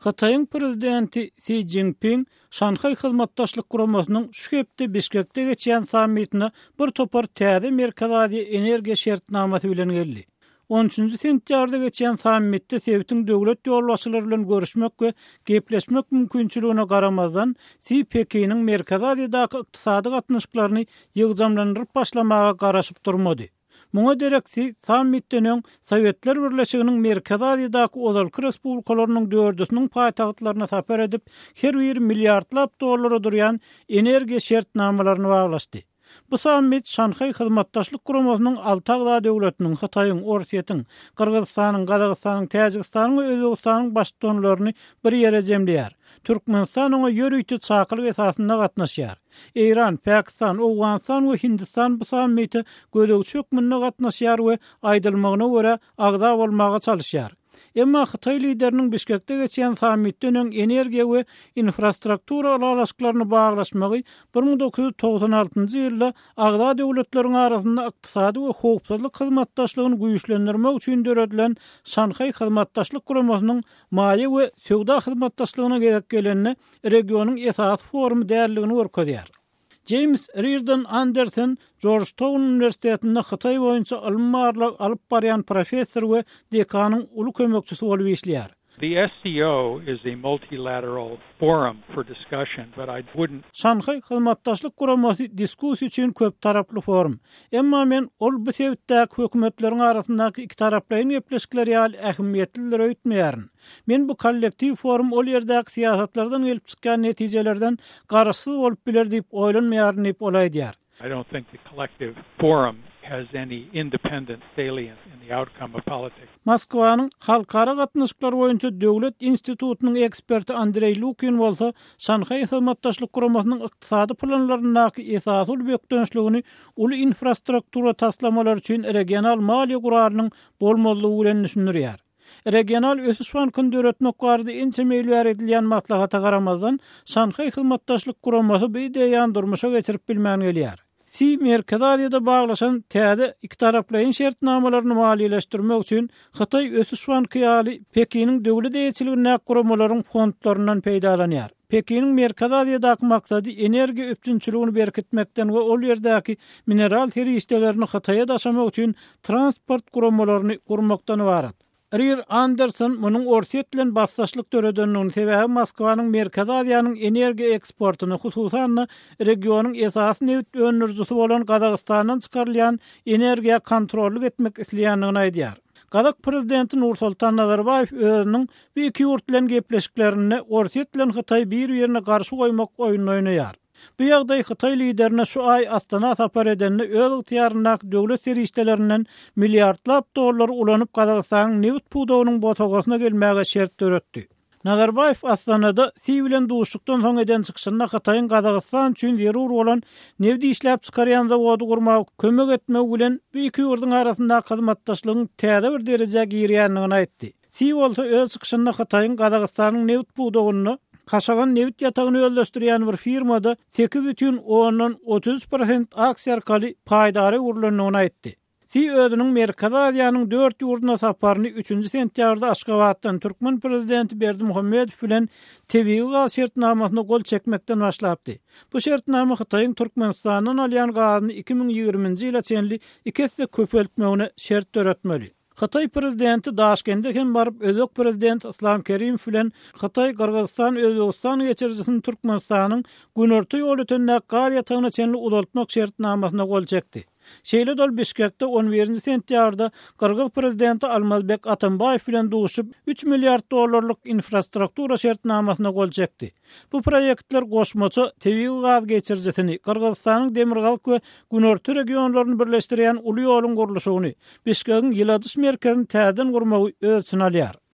Hytaýyň prezidenti Si Szinpin Şanhaý Hyzmatdaşlyk Guramasynyň şu hepde Bişkekde geçýän sammitine bir topar täze Merkezi Aziýa energiýa şertnamasy bilen geldi. On üçünji sentýabrda geçýän sammitde sebitiň döwlet ýolbaşçylary bilen görüşmek we gepleşmek mümkinçiligine garamazdan, Si Pekiniň Merkezi Aziýadaky ykdysady gatnaşyklaryny ýygjamlandyryp başlamaga garaşyp durmady. Muňa derek Si sammitden öň Sowetler Birleşiginiň Merkezi Aziýadaky ozalky respublikalarynyň dördüsiniň paýtagtlaryna sapar edip, her biri milliardlap dollara durýan energiýa şertnamalaryny baglaşdy. Bu sammit Şanhaý Hyzmatdaşlyk Guramasynyň alty agza döwletiniň, Hytaýyň, Orsýetiň, Gyrgyzystanyň, Gazagystanyň, Täjigistanyň we Özbegistanyň baştutanlaryny bir ýere jemleýär. Türkmenistan oňa ýörite çakylyk esasynda gatnaşýar. Eýran, Pakistan, Owganystan we Hindistan bu sammite gözegçi hökmünde gatnaşýar we aýdylmagyna görä, agza bolmaga çalyşýar. Emma hytaý lideriniň Bişkekde geçýän sammitden öň energiýa we infrastruktura ylalaşyklaryny baglaşmagy 1996 ýylda agza döwletleriň arasynda ykdysady we howpsuzlyk hyzmatdaşlygyny güýçlendirmek üçin döredilen Şanhaý Hyzmatdaşlyk Guramasynyň maýa we söwda hyzmatdaşlygyna gezek gelende regionyň esasy forumy däldigini görkezýär. Jeýms Rirden Andersen Jorjtaun uniwersitetinde Hytaý boýunça ylmy-barlag alyp barýan professor we dekanyň uly kömekçisi bolup işleýär. The SCO is a multilateral forum for discussion, but I wouldn't. Şanhaý Hyzmatdaşlyk Guramasy diskussiýa üçin köptaraply forum. Emma men ol bu sebitdäki hökümetleriň arasyndaky ikitaraplaýyn gepleşikler ýaly ähmiýetlidir öýtmeýärin. Men bu kollektiw forum ol ýerdäki syýasatlardan gelip çykýan netijelerden garaşsyz bolup biler diýip oýlanmaýaryn diýip, ol aýdýar. I don't think the collective forum has any independent salience in the outcome of politics. Moskwanyň Halkara gatnaşyklar boýunça döwlet institutynyň eksperti Andreý Lukin bolsa Şanhaý Hyzmatdaşlyk Guramasynyň ykdysady planlaryndaky esasy uly bökdençligini uly infrastruktura taslamalary üçin regional maliýe guralynyň bolmazlygy bilen düşündirýär. Regional ösüş bankyny döretmek barada ençeme ýyl bäri edilýän maslahata garamazdan, Şanhaý Hyzmatdaşlyk Guramasy bu ideýany durmuşa geçirip bilmän gelýär. Si Merkezi Aziýada baglaşan täze ikitaraplaýyn şertnamalaryny maliýeleşdirmek üçin Hytaý ösüş banky ýaly Pekiniň döwlet eýeçiligindäki guramalaryň fondlaryndan peýdalanýar. Pekiniň Merkezi Aziýadaky maksady energiýa üpjünçiligini berkitmekden we ol ýerdäki mineral serişdelerini Hytaýa daşamak üçin transport guramalaryny gurmakdan ybarat. Rir Anderson munuň Orsýet bilen basdaşlyk döredendigini, sebäbi Moskwanyň Merkezi Aziýanyň energiýa eksportyny, hususan-da, regionyň esasy nebit öndürijisi bolan Gazagystandan çykarylýan energiýa kontrollyk etmek isleýändigini aýdýar. Gazak prezidenti Nursultan Nazarbaýew özüniň bu iki ýurt bilen gepleşiklerinde Orsýet bilen Hytaýy bir-birine garşy goýmak oýnuny oýnaýar. Bu ýagdaý hytaý liderine şu aý Astana sapar edende öz ygtyýaryndaky döwlet serişdelerinden milliardlap dollary ulanyp Gazagystanyň nebit pudagynyň bosagasyna gelmäge şert döretdi. Nazarbaýew Astanada Si bilen duşuşykdan soň eden çykyşynda Hytaýyň Gazagystan üçin zerur bolan nebit işläp çykarýan zawody gurmaga kömek etmegi bilen bu iki ýurduň arasyndaky hyzmatdaşlygyň täze bir derejä girýändigini aýtdy. Si bolsa öz çykyşynda Hytaýyň Gazagystanyň nebit pudagynda Kaşagan nebit ýatagyny özleşdirýän bir firmada 8,33 prosent aksiýa arkaly paýdara öwrülendigini aýtdy. Si özüniň Merkezi Aziýanyň dört ýurduna saparyny üçünji sentýabrda Aşgabatdan türkmen prezidenti Berdimuhamedow bilen tebigy gaz şertnamasyna gol çekmekden başlapdy. Bu şertnama Hytaýyň Türkmenistandan alýan gazyny 2020-nji ýyla çenli iki esse köpeltmegine şert döretmeli. Hytaý prezidenti Daşkende hem baryp, özbek prezidenti Yslam Kerimow bilen Hytaý-Gyrgyzystan-Özbegistan geçirijisini Türkmenistanyň günorta Ýolötendäki gaz ýatagyna çenli uzaltmak şertnamasyna gol çekdi. Şeýle-de ol Bişkekde on birinji sentýabrda gyrgyz prezidenti Almazbek Atambaýew bilen duşup, üç milliard dollarlyk infrastruktura şertnamasyna gol çekdi. Bu proýektler goşmaça tebigy gaz geçirijisini, Gyrgyzystanyň demirgazyk we günorta regionlaryny birleşdirýän uly ýoluň gurluşygyny, Bişkegiň ýyladyş merkezini täzeden gurmagy öz içine alýar.